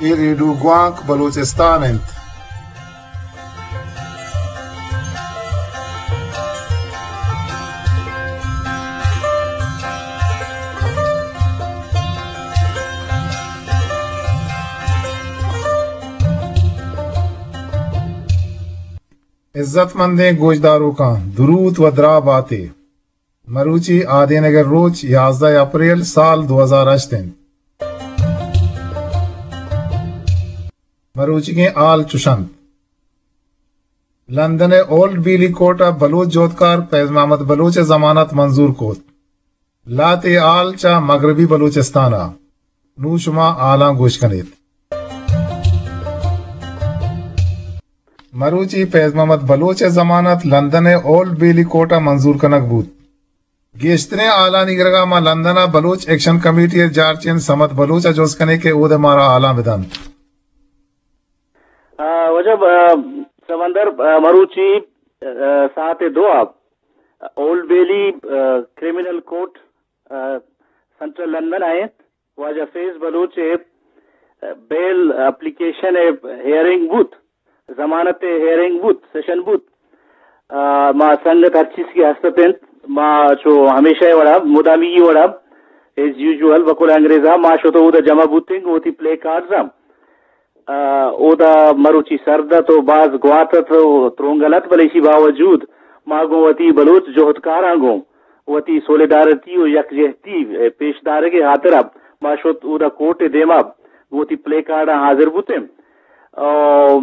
اے ریڈیو گوانک بلوچستان انت۔ عزت مندیں گوشداروکاں، دروت و دراہ باتے۔ مروچی آدینگ ء روچ یازدہ اپریل سال دو ہزار ہشت انت۔ مروچیگیں ہال چش انت۔ لندن ء اولڈ بیلی کورٹ ء بلوچ جہدکار فیض محمد بلوچ ء ضمانت منظور کت۔ لہتے ہال چہ مغربی بلوچستان ء۔ نوں شما ہالاں گوش کن ایت۔ مروچی فیض محمد بلوچ ء ضمانت لندن ء اولڈ بیلی کورٹ ء منظور کنگ بوت۔ گیشتریں ہالانی گرگ ء ما لندن ء بلوچ ایکشن کمیٹی ء جارچین صمد بلوچ ء جست کنیں کہ اود ء مارا ہالاں بدنت۔ آ، واجہ، آ، سمندر، آ، مروچی، آ، ساعت دو ء اولڈ بیلی، آ، کریمنل کورٹ، آ، سنٹرل لندن ء انت۔ واجہ فیض بلوچ ء بیل اپلیکیشن ء ہیئرنگ بوت، ضمانت ء ہیئرنگ بوت، سیشن بوت۔ آ، ما سنگت ہر چیز کہ ہست اتنت، ما چو ہمیشہ ء وڑا، مدامی وڑا، ایز یوزول، بقول انگریزا، ما شتو اودا جمع بوتیں، وتی پلے کارڈز ہم۔ آ، اودا مروچی سرد ات و باز گوات ات و ترونگل ات، بلے ایشی باوجود ما گوں وتی بلوچ جہدکاراں گوں وتی سولیڈارٹی و یکجہتی پیش دارگ ء ہاترا ما شت اودا کورٹ ء دیما گوں وتی پلے کارڈاں حاضر بوتیں۔ آ،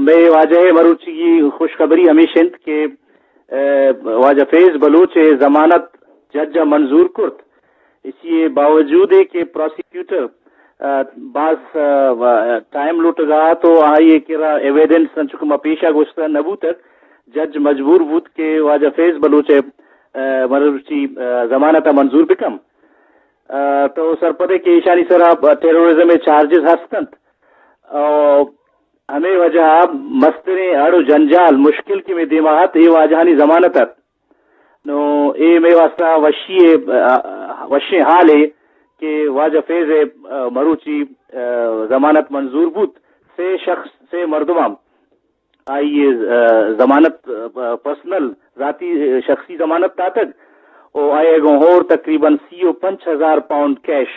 مئے واجہ ء مروچیگی خوشخبری ہمیش انت کہ، آ، واجہ فیض بلوچ ء ضمانت جج ء منظور کرت۔ ایشی ء باوجود ء کہ پراسیکیوٹر، آ، باز، آ، ٹائم لوٹگا ات و آئی ء کرا ایویڈنس انچو کہ ما پیشا گوشتہ نہ بوتگ، جج مجبور بوت کہ واجہ فیض بلوچ ء، آ، مروچی، آ، ضمانت ء منظور بکن۔ آ، تو سرپدے کہ ایشانی سرا ٹیرورزم ء چارجز ہست انت۔ آ، ہمے وجہ ء مستریں اڑ و جنجال مشکل کہ مئے دیما ات، اے واجہانی ضمانت ات۔ نو اے مئے واسطہ وشی ء، آ، وشیں حالے کہ واجہ فیض ء، آ، مروچی، آ، ضمانت منظور بوت۔ سے شخص، سے مردماں آئی ء، آ، ضمانت، آ، پرسنل، ذاتی، آ، شخصی ضمانت داتگ و آئی ء گوں ہور تقریباً سی و پنچ ہزار پاؤنڈ کیش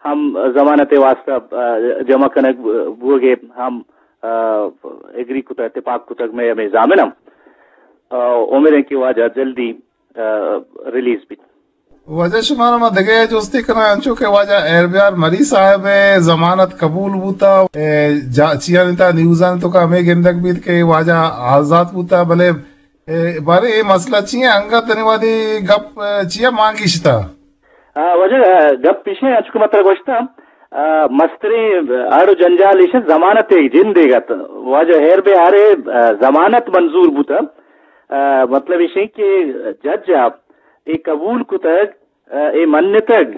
ہم ضمانت ء واسطہ، آ، جمع کنگ بوگ ء ہم، آ، ایگری کتگ، اتفاق کتگ مئے ہمے ضامن ہم۔ آ، امید انت کہ واجہ جلدی، آ، ریلیز بیت۔ واجہ شمارا ما دگہ جستے کناں، انچو کہ واجہ ہیر بیار مری صاحب ء ضمانت قبول بوتا، اے جا-، چیانی تا نیوزانی توکا ہمے گندگ بیت کہ واجہ آزات بوتا، بلے اے، بارے اے مسئلہ چی انت؟ انگت تنی وہدی گپ، اے، چیا مان گیشتا؟ آ، واجہ، آ، گپ پیشیں، انچو کہ متر گوشتا، آ، مستریں اڑ و جنجال ایش ضمانت ایک جند ایگت۔ واجہ ہیر بہارے، آ، ضمانت منظور بوتا۔ آ، مطلب ایشیں کہ جج آپ اے قبول کتگ، آ، اے منتگ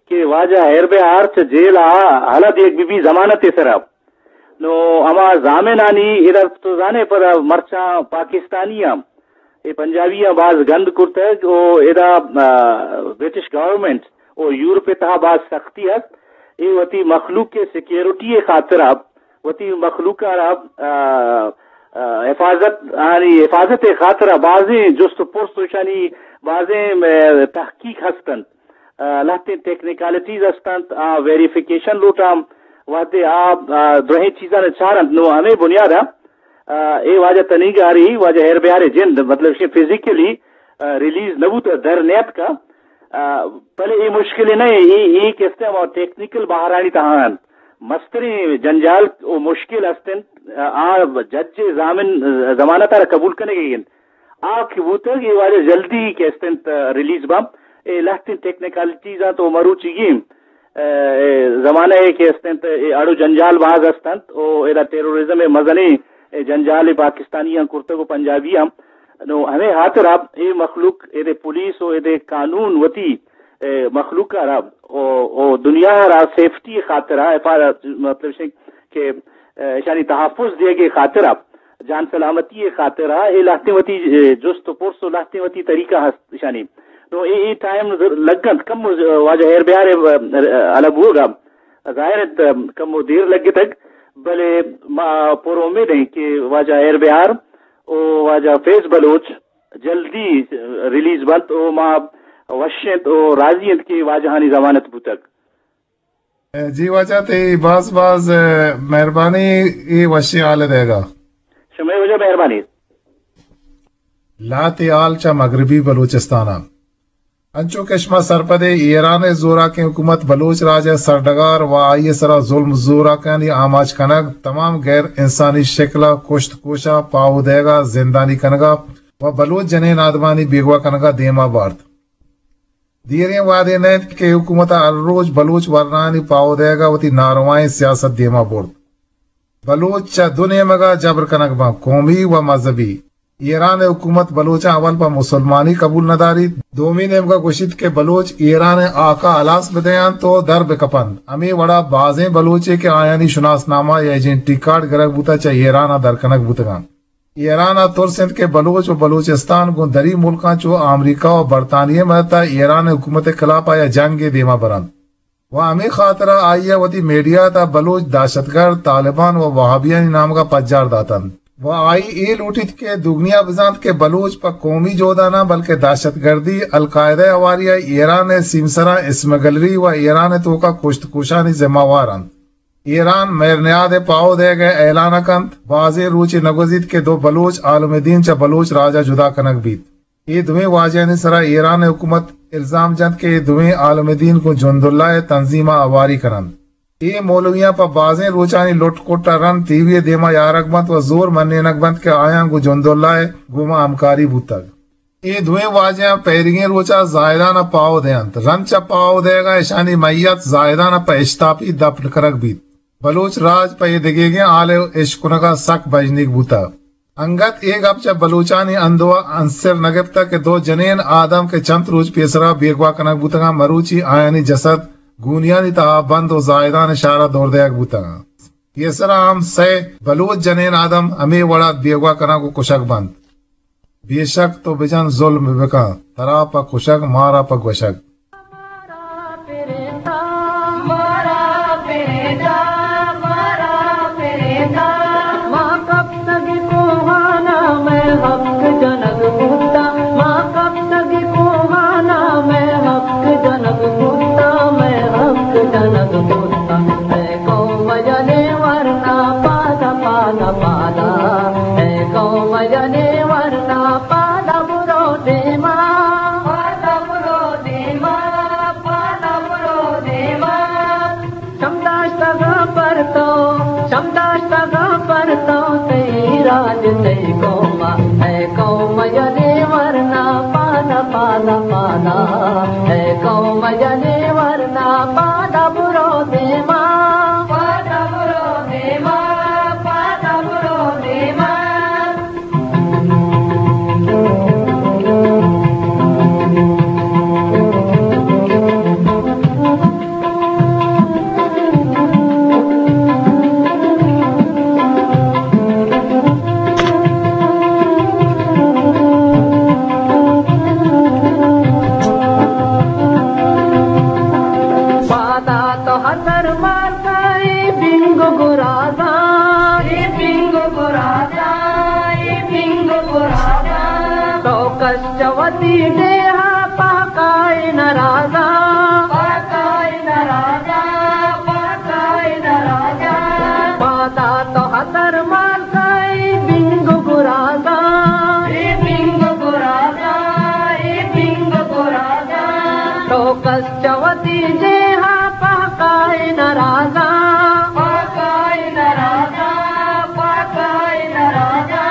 کہ واجہ ہیر بہار چہ جیل آ ہلا دیگ بی بی ضمانت سرا۔ نو ہما ضامنانی ادا تو زانے پدا مرچاں پاکستانی ہم اے پنجابی ہم باز گند کرتگ و ادا، آ، برٹش گورنمنٹ و یورپ تہا باز سختی است۔ اے وتی مخلوق کے سیکیورٹی خاطرا، وتی مخلوق را، آ، آ، حفاظت، آنی حفاظت خاطرا بازیں جست و پرس و ایشانی بازیں، آ، تحقیق ہستنت۔ آ، لہتیں ٹیکنیکالٹیز ہستنت، آ، ویریفیکیشن لوٹاں، وہدے آ، آ، درہیں چیزاں چارنت۔ نو ہمے بنیادا، آ، اے واجہ تنیگاری، واجہ ہیر بیارے جند، مطلب، شے فزیکلی، آ، ریلیز نہ بوت، در نیتکا۔ آ، بلے اے مشکل نہ اے، اے، اے کہ استیں ہما ٹیکنیکل بہرانی تہا انت۔ مستریں جنجال و مشکل ہستنت، آ، آ جج ضامن، ضمانت را قبول کنگی انت۔ آ کہ بوتگ، اے واجہ جلدی کہ استنت ریلیز باں۔ اے لہتیں ٹیکنیکالٹیز انت و مروچیگیں، اے، زمانہ ء کہ استنت، اے اڑ و جنجال باز استنت و ادا ٹیرورزم ء مزنیں، اے، جنجال پاکستانی ہم کرتگ و پنجابی ہم۔ نو ہمے ہاترا اے مخلوق، اے دے پولیس و اے دے قانون وتی، اے، مخلوق را و، و دنیا را سیفٹی خاطرا، حفاظت، مطلب شے کہ، اے، اشانی تحفظ دیگے خاطرا جان سلامتی ء خاطرا اے لہتیں وتی، اے، جست و پرس و لہتیں وتی طریقہ ہست اشانی۔ نو اے، اے ٹائم لگنت کم، واجہ ہیر بیار ء، اے، الگ بوگا ظاہر انت کم و دیر لگتگ، بلے ما پر امید ایں کہ واجہ ہیر بہار و واجہ فیض بلوچ جلدی ریلیز بنت و ما وش انت و راضی انت کہ واجہانی ضمانت بوتگ۔ جی واجہ، تئی باز باز مہربانی اے وشیں حال دیگا۔ شمئے واجہ مہربانی۔ لہتے حال چہ مغربی بلوچستان ء۔ انچو کہ شما سرپد ئے، ایران ء زوراکیں حکومت بلوچ راج ء سرڈگار و آئی ء سرا ظلم زوراکانی آماچ کنگ، تمام غیر انسانی شکل ء کشت کوش ء پاہو دئیگ ء زندانی کنگ ء و بلوچ جنین آدمانی بیگواہ کنگ ء دیما بارت۔ دیریں وہدے نہ انت کہ حکومت ء ہر روچ بلوچ ورنایانی پاہو دئیگ ء وتی ناروائیں سیاست دیما برت۔ بلوچ چہ دو نیمگ ء جبر کنگ بنت، قومی و مذہبی۔ ایران ء حکومت بلوچاں اول پہ مسلمانی قبول نہ داریت، دومی نیمگ ء گوشیت کہ بلوچ ایران ء ہاک ء ہلاس بدئینت و در بکپنت۔ ہمے وڑا بازیں بلوچے کہ آیانی شناسنامہ یا ایجنٹی کارڈ گرگ بوتگ، چہ ایران ء در کنگ بوتگ انت۔ ایران ء ترس انت کہ بلوچ و بلوچستان گوں دری ملکاں چو آمریکہ و برطانیہ ء مدد ء ایران ء حکومت ء خلاف ء یک جنگے دیما برنت۔ و ہمے خاطر ء آئی ء وتی میڈیا ء تہ بلوچ دہشتگرد، طالبان و وہابیانی نامگ ء پجار داتنت۔ و آئی اے لوٹیت کہ دگنیا بزانت کہ بلوچ پہ قومی جہد ء نہ بلکہ دہشتگردی، القاعدہ ء ہواری ء ایران ء سیمسراں اسمگلری و ایران ء توکا کشت کوشانی ذمہ وار انت۔ ایران مہرنیاد ء پاہو دئیگ ء اعلان ء کنت، بازیں روچے نہ گوزیت کہ دو بلوچ عالم دین چہ بلوچ راج ء جدا کنگ بیت۔ اے دوئیں واجہانی سرا ایران ء حکومت الزام جنت کہ اے دوئیں عالم دین گوں جنداللہ ء تنظیم ء ہواری کننت۔ اے مولویاں پہ بازیں روچانی لٹ کٹ ء رند ٹی وی ء دیما یارگ بنت و زور منینگ بنت کہ آیاں گوں جنداللہ ء گوما ہمکاری بوتگ۔ اے دوئیں واجہاں پہریگیں روچ ء زاہدان ء پاہو دئینت۔ رند چہ پاہو دئیگ ء اشانی میت زاہدان ء پہ اشتاپی دپن کنگ بیت۔ بلوچ راج پہ اے دگیگیں ہال ء اشکنگ ء سک بژنیگ بوتگ۔ انگت اے گپ چہ بلوچانی اندو ء انسر نہ گپتگ کہ دو جنین آدم کہ چنت روچ پیسرا بیگواہ کنگ بوتگاں، مروچی آیانی جسد گونیانی تہا بند و زاہدان ء شہر ء دور دئیگ بوتگاں۔ پیسرا ہم سئے بلوچ جنین آدم ہمے وڑا بیگواہ کنگ و کشگ بنت۔ بے شک تو بجن ظلم بکن، ترا پہ کشگ مارا پہ گوشگ۔ اے قوم جنے ورنا پادا برو دیما، پادا برو دیما، پادا برو دیما۔ شمداشتگاں پر تو، شمداشتگاں پر تو، تئی راج تئی قوم، اے قوم جنے ورنا پادا، پادا، پادا۔ اے قوم جنے ورنا پادا برو دیما، پادا برو دیما، پادا برو دیما۔ پادا تو ہتر مارکا، اے بنگ گرازا، اے بنگ گرازا، اے بنگ گرازا۔ تو کس چہ وتی ڈیہا پاکائے نرازا، پاکائے نرازا، پاکائے نرازا۔ پادا تو ہتر مارکا، اے بنگ گرازا، اے بنگ گرازا، اے بنگ گرازا۔ تو کس چہ وتی ڈیہا پاکائے نرازا، پاکائے نرازا، پاکائے نرازا۔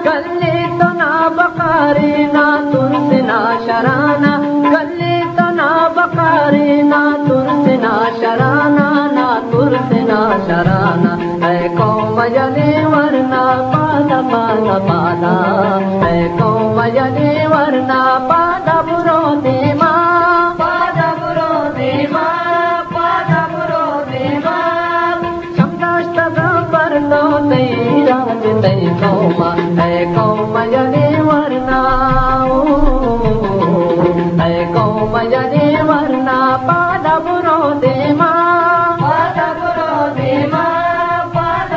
گلے تو نابکارے، ناترس ناشرانا، گلے تو نابکارے، ناترس ناشرانا، ناترس ناشرانا۔ اے قوم جنے ورنا پادا، پادا، پادا۔ اے قوم جنے ورنا پادا برو دیما، پادا برو دیما، پادا برو دیما۔ شمداشتگاں پر تو، تئی راج تئی قوم، اے قوم جنے ورنا، اے قوم جنے ورنا پادا برو دیما، پادا برو دیما، پادا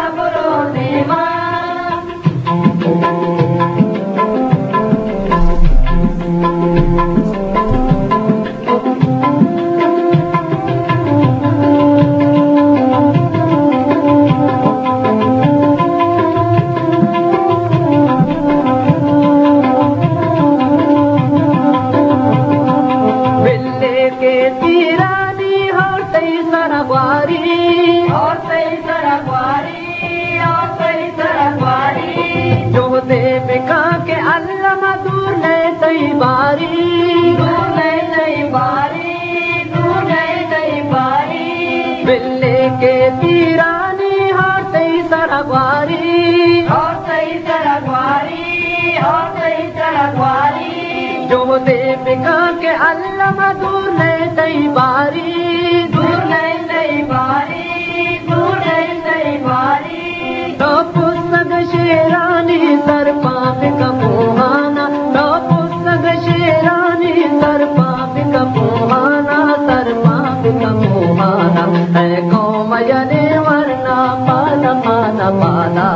کہ تیرانی ہور تئی سر گواری، ہور تئی سر گواری، ہور تئی سر گواری۔ جہدے بکاں کہ الم دور نئے تئی باری، دور نئے تئی باری، دور نئے تئی باری۔ بلے کہ تیرانی ہور تئی سر گواری، ہور تئی سر گواری، ہور تئی سر گواری۔ جہدے بکاں کہ الم دور نئے تئی باری، دور نئے تئی باری، دور نئے تئی باری۔ تو پسگ شیرانی سر پاں بکاں پوہانا، تو پسگ شیرانی سر پاں بکاں پوہانا، سر پاں بکاں پوہانا۔ اے قوم یلے ورنا پادا، پادا، پادا۔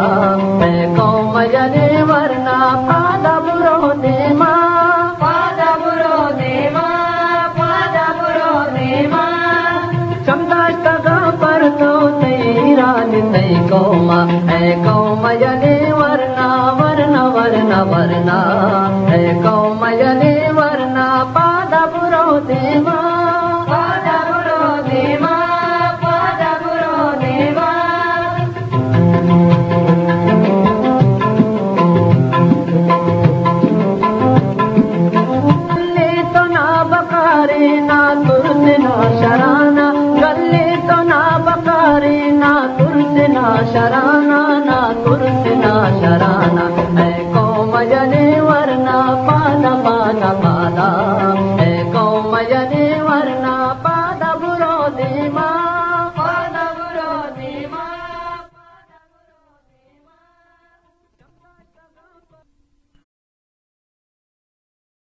اے قوم یلے ورنا پادا برو دیما، پادا برو دیما، پادا برو دیما۔ چمداشتگاں پر تو تئی ایران تئی قوم، اے قوم یلے ورنا، ورنا، ورنا، ورنا۔ اے قوم یلے ورنا پادا برو دیما، پادا برو دیما، پادا برو دیما۔ گلے تو نا بکارے نا ترس نا شرانا، گلے تو نا بکارے نا ترس نا شرانا، نا ترس نا شرانا۔